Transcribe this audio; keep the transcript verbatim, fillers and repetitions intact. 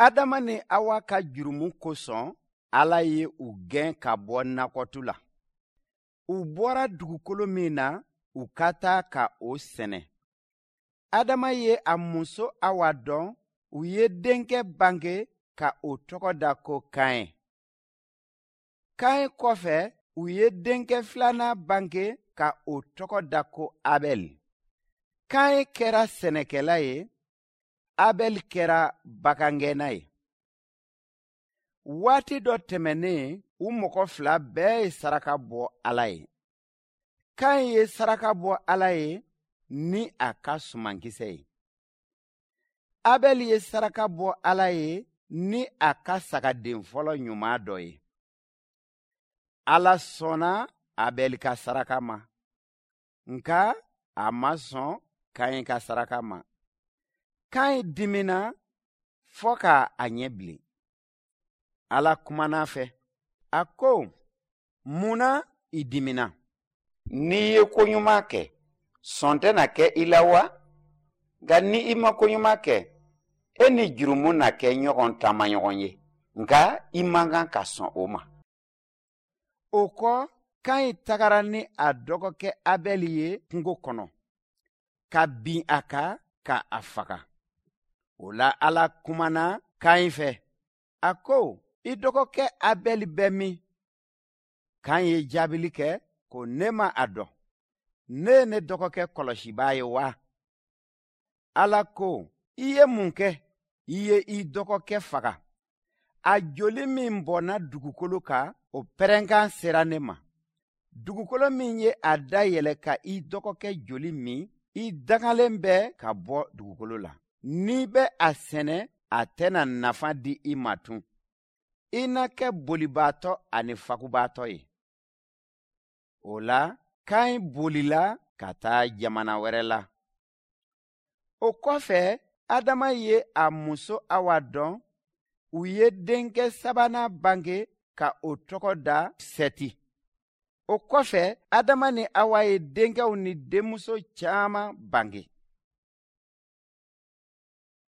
Adama ni Awa ka jurumu kosɔn, Ala ye u gɛn ka bɔ nakɔtu la. U bɔra dugukolo min na, u ka taa ka o sɛnɛ. Adama ye a muso Awa dɔn, u ye denkɛ bange ka o tɔgɔ da ko Kaɲɛ. Kaɲɛ kɔfɛ, u ye denkɛ filanan bange ka o tɔgɔ da ko Abɛl. Kaɲɛ kɛra sɛnɛkɛla ye, Abɛl kɛra bagangɛnna ye. Waati dɔ tɛmɛnen, u mɔgɔ fila bɛɛ ye saraka bɔ Ala ye. Kaɲɛ ye saraka bɔ Ala ye ni a ka sumankisɛ ye. Abɛl ye saraka bɔ Ala ye ni a ka sagaden fɔlɔ ɲuman dɔ ye. Ala sɔnna Abɛl ka saraka ma, nka a ma sɔn Kaɲɛ ka saraka ma. Kaɲɛ dimina fɔ ka a ɲɛ bilen. Ala kumana a fɛ, a ko, mun na i dimina? N'i ye ko ɲuman kɛ, sɔn tɛna kɛ i la wa? Nka ni i ma ko ɲuman kɛ, e ni jurumu na kɛ ɲɔgɔn taamaɲɔgɔn ye, nka i man kan ka sɔn o ma. O kɔ, Kaɲɛ tagara ni a dɔgɔkɛ Abɛl ye kungo kɔnɔ, ka bin a kan ka a faga. O la Ala kumana Kaɲɛ fɛ, a ko, i dɔgɔkɛ Abɛl bɛ min? Kaɲɛ ye jaabili kɛ ko ne ma a dɔn. Ne ye ne dɔgɔkɛ kɔlɔsibaa ye wa? Ala ko, i ye mun kɛ? I ye i dɔgɔkɛ faga. A joli min bɔnna dugukolo kan, o pɛrɛnkan sera ne ma. Dugukolo min ye a dayɛlɛ ka i dɔgɔkɛ joli min, i dangalen bɛ ka bɔ dugukolo la. N'i bɛ a sɛnɛ, a tɛna nafa di i ma tun. I na kɛ bolibaatɔ ani fagubaatɔ ye. O la, Kaɲɛ bolila ka taa jamana wɛrɛ la. O kɔfɛ, Adama ye a muso Awa dɔn, u ye denkɛ sabanan bange ka o tɔgɔ da Sɛti. O kɔfɛ, Adama ni Awa ye denkɛw ni denmuso caman bange.